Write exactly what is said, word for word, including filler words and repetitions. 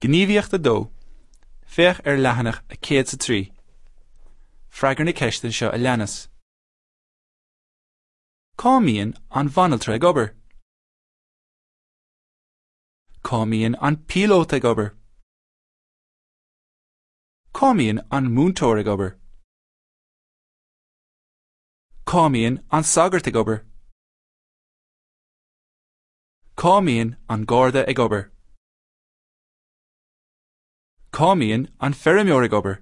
Gníomhaíocht a dó. Féach ar leathanach a céad is a trí. Freagair na ceisteanna seo a leanas. Cá mbíonn an bhanaltra ag obair? Cá mbíonn an píolóta ag obair? Cá mbíonn an múinteoir ag obair? Cá mbíonn an sagart ag obair? Cá mbíonn an garda ag obair? Cá mbíonn an feirmeoir ag obair?